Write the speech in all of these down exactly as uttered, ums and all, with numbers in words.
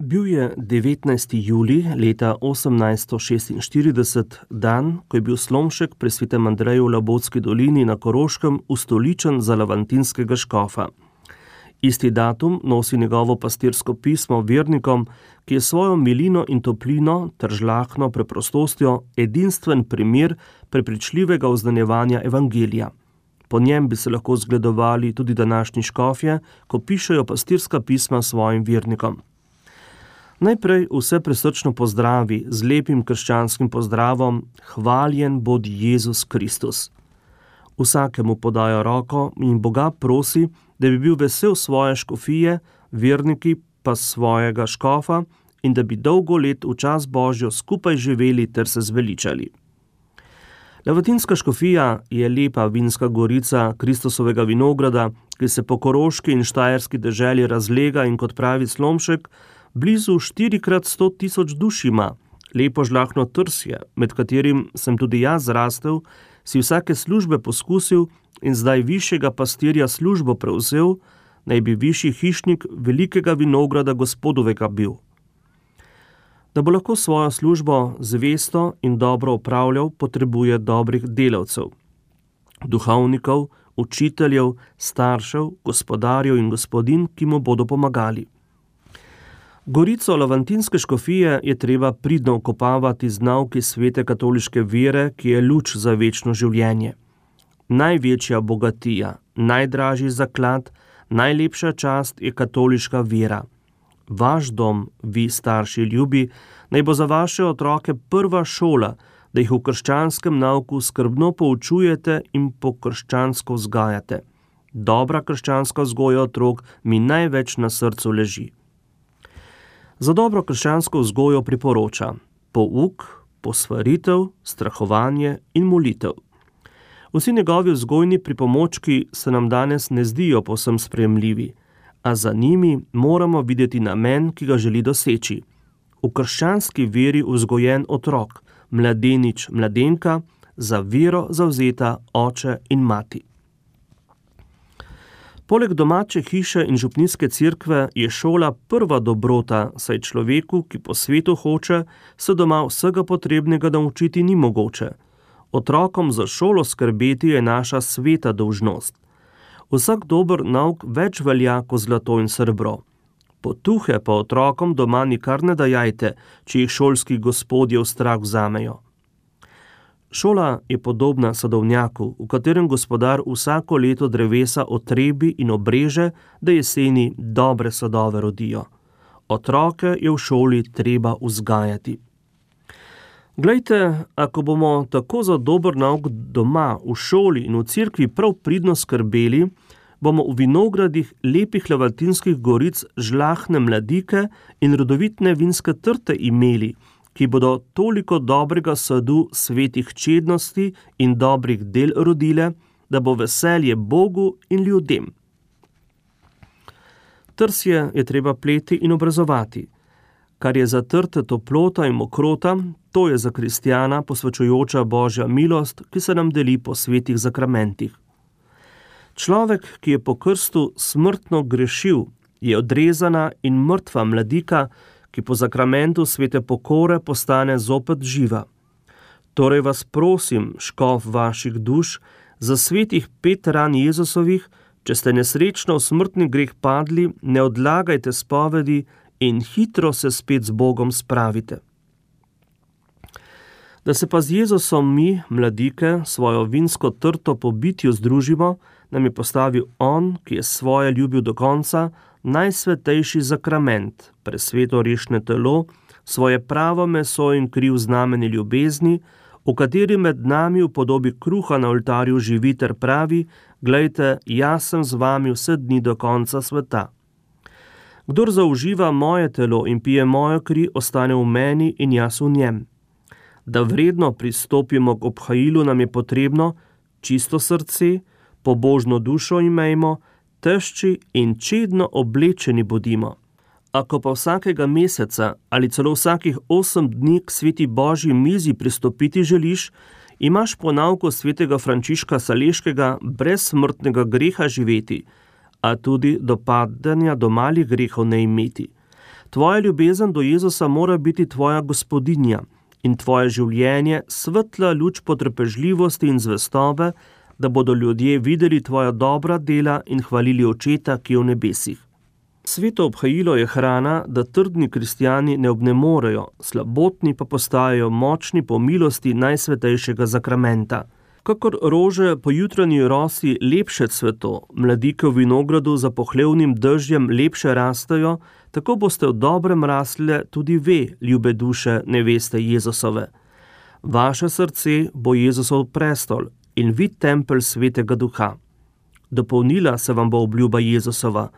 Bil je devetnajsti julij leta osemnajststo šestinštirideset, dan, ko je bil Slomšek pri svetem Andreju v Labotski dolini na Koroškem ustoličen za lavantinskega škofa. Isti datum nosi njegovo pastirsko pismo vernikom, ki je svojo milino in toplino ter žlahno preprostostjo edinstven primer prepričljivega oznanjevanja evangelija. Po njem bi se lahko zgledovali tudi današnji škofje, ko pišejo pastirska pisma svojim vernikom. Najprej vse prisrčno pozdravi z lepim krščanskim pozdravom: Hvaljen bodi Jezus Kristus. Vsakemu podajo roko in Boga prosi, da bi bil vesel svoje škofije, verniki pa svojega škofa in da bi dolgo let v čas Božjo skupaj živeli ter se zveličali. Lavatinska škofija je lepa vinska gorica Kristusovega vinograda, ki se po koroški in štajerski deželi razlega in, kot pravi Slomšek, blizu štirikrat sto tisoč duš ima, lepo žlahno trsje, med katerim sem tudi jaz zrastel, si vsake službe poskusil in zdaj višjega pastirja službo prevzel, naj bi višji hišnik velikega vinograda Gospodovega bil. Da bo lahko svojo službo zvesto in dobro opravljal, potrebuje dobrih delavcev, duhovnikov, učiteljev, staršev, gospodarjev in gospodinj, ki mu bodo pomagali. Gorico lavantinske škofije je treba pridno okopavati z nauki svete katoliške vere, ki je luč za večno življenje. Največja bogatija, najdražji zaklad, najlepša čast je katoliška vera. Vaš dom, vi starši ljubi, naj bo za vaše otroke prva šola, da jih v krščanskem nauku skrbno poučujete in po krščansko vzgajate. Dobra krščanska vzgoja otrok mi največ na srcu leži. Za dobro krščansko vzgojo priporoča pouk, posvaritev, strahovanje in molitev. Vsi njegovi vzgojni pripomočki se nam danes ne zdijo povsem sprejemljivi, a za njimi moramo videti namen, ki ga želi doseči. V krščanski veri vzgojen otrok, mladenič, mladenka, za vero zavzeta oče in mati. Poleg domače hiše in župnijske cerkve je šola prva dobrota, saj človeku, ki po svetu hoče, se doma vsega potrebnega naučiti ni mogoče. Otrokom za šolo skrbeti je naša sveta dolžnost. Vsak dober nauk več velja kot zlato in srebro. Potuhe pa otrokom doma nikar ne dajajte, če jih šolski gospodje v strah vzamejo. Šola je podobna sadovnjaku, v katerem gospodar vsako leto drevesa otrebi in obreže, da jeseni dobre sadove rodijo. Otroke je v šoli treba vzgajati. Glejte, ako bomo tako za dober nauk doma, v šoli in v cerkvi prav pridno skrbeli, bomo v vinogradih lepih lavatinskih goric žlahne mladike in rodovitne vinske trte imeli, ki bodo toliko dobrega sadu svetih čednosti in dobrih del rodile, da bo veselje Bogu in ljudem. Trsje je treba pleti in obrazovati. Kar je za trte toplota in mokrota, to je za kristjana posvečujoča Božja milost, ki se nam deli po svetih zakramentih. Človek, ki je po krstu smrtno grešil, je odrezana in mrtva mladika, ki po zakramentu svete pokore postane zopet živa. Torej vas prosim, škof vaših duš, za svetih pet ran Jezusovih, če ste nesrečno v smrtni greh padli, ne odlagajte spovedi in hitro se spet z Bogom spravite. Da se pa z Jezusom mi, mladike, svojo vinsko trto po bitju združimo, nam je postavil On, ki je svoje ljubil do konca, najsvetejši zakrament, presveto rešne telo, svoje pravo meso in kri v znamenje ljubezni, v kateri med nami v podobi kruha na oltarju živi ter pravi: glejte, jaz sem z vami vse dni do konca sveta. Kdor zauživa moje telo in pije mojo kri, ostane v meni in jaz v njem. Da vredno pristopimo k obhajilu, nam je potrebno čisto srce, pobožno dušo imejmo, tešči in čedno oblečeni bodimo. Ako pa vsakega meseca ali celo vsakih osem dni k sveti Božji mizi pristopiti želiš, imaš po nauku svetega Frančiška Saleškega brez smrtnega greha živeti, a tudi do padanja do malih grehov ne imeti. Tvoja ljubezen do Jezusa mora biti tvoja gospodinja in tvoje življenje svetla luč potrpežljivosti in zvestobe, da bodo ljudje videli tvoja dobra dela in hvalili Očeta, ki je v nebesih. Sveto obhajilo je hrana, da trdni kristjani ne obnemorejo, slabotni pa postajajo močni po milosti najsvetejšega zakramenta. Kakor rože po jutranji rosi lepše cveto, mladike v vinogradu za pohlevnim dežjem lepše rastejo, tako boste v dobrem rasle tudi ve, ljube duše neveste Jezusove. Vaše srce bo Jezusov prestol in vi tempelj svetega duha. Dopolnila se vam bo obljuba Jezusova.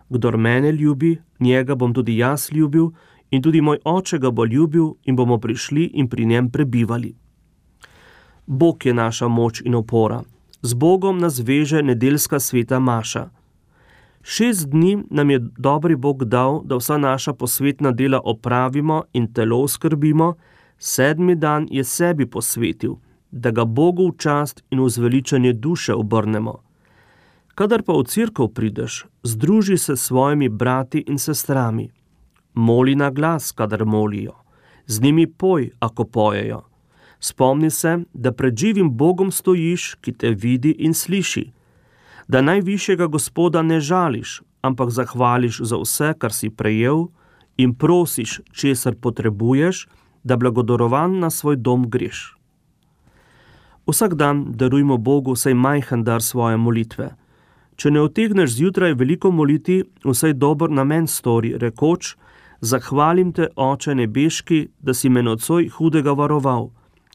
Kdor mene ljubi, njega bom tudi jaz ljubil in tudi moj oče ga bo ljubil in bomo prišli in pri njem prebivali. Bog je naša moč in opora. Z Bogom nas veže nedeljska sveta maša. Šest dni nam je dobri Bog dal, da vsa naša posvetna dela opravimo in telo skrbimo, sedmi dan je sebi posvetil, da ga Bogu v čast in v zveličanje duše obrnemo. Kadar pa v cerkev prideš, združi se s svojimi brati in sestrami. Moli na glas, kadar molijo. Z njimi poj, ako pojejo. Spomni se, da pred živim Bogom stojiš, ki te vidi in sliši. Da najvišjega Gospoda ne žališ, ampak zahvališ za vse, kar si prejel in prosiš, česar potrebuješ, da blagodorovan na svoj dom greš. Vsak dan darujmo Bogu vsaj majhen dar svoje molitve. Če ne utegneš zjutraj veliko moliti, vsaj dober namen stori, rekoč, zahvalim te, Oče nebeški, da si me nocoj hudega varoval.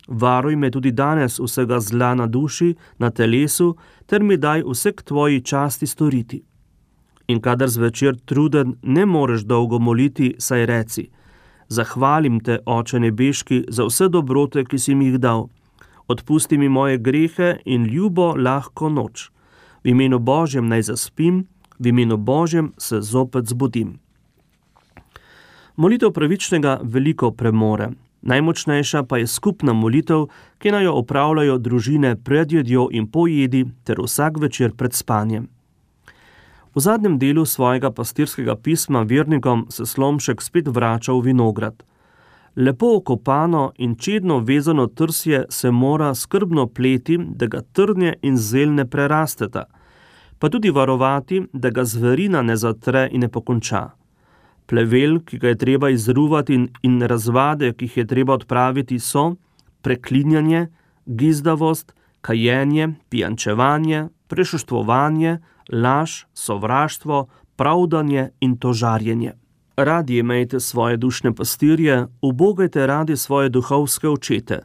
Varuj me tudi danes vsega zla na duši, na telesu, ter mi daj vse k tvoji časti storiti. In kadar zvečer truden ne moreš dolgo moliti, saj reci, zahvalim te, Oče nebeški, za vse dobrote, ki si mi jih dal. Odpusti mi moje grehe in ljubo lahko noč. V imenu Božjem naj zaspim, v imenu Božjem se zopet zbudim. Molitev pravičnega veliko premore. Najmočnejša pa je skupna molitev, ki naj jo opravljajo družine pred jedjo in po jedi ter vsak večer pred spanjem. V zadnjem delu svojega pastirskega pisma vernikom se Slomšek spet vrača v vinograd. Lepo okopano in čedno vezano trsje se mora skrbno pleti, da ga trnje in zel ne prerasteta, pa tudi varovati, da ga zverina ne zatre in ne pokonča. Plevel, ki ga je treba izruvati in, in razvade, ki jih je treba odpraviti, so preklinjanje, gizdavost, kajenje, pijančevanje, prešuštvovanje, laž, sovraštvo, pravdanje in tožarjenje. Radi imejte svoje dušne pastirje, ubogajte radi svoje duhovske očete.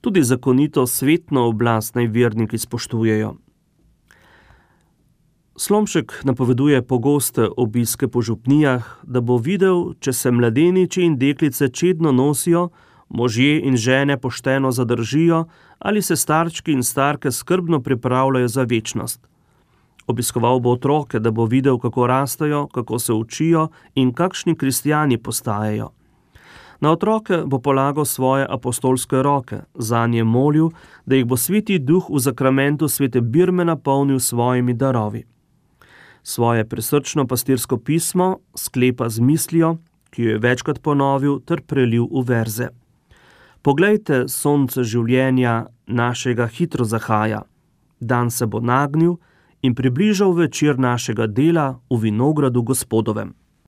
Tudi zakonito svetno oblast naj verniki spoštujejo. Slomšek napoveduje pogoste obiske po župnijah, da bo videl, če se mladeniči in deklice čedno nosijo, možje in žene pošteno zadržijo ali se starčki in starke skrbno pripravljajo za večnost. Obiskoval bo otroke, da bo videl, kako rastejo, kako se učijo in kakšni kristjani postajajo. Na otroke bo polagal svoje apostolske roke, zanje molil, da jih bo sveti duh v zakramentu svete birme napolnil svojimi darovi. Svoje presrčno pastirsko pismo sklepa z mislijo, ki jo je večkrat ponovil ter prelil v verze. Poglejte, sonce življenja našega hitro zahaja. Dan se bo nagnil in približal večer našega dela v vinogradu Gospodovem.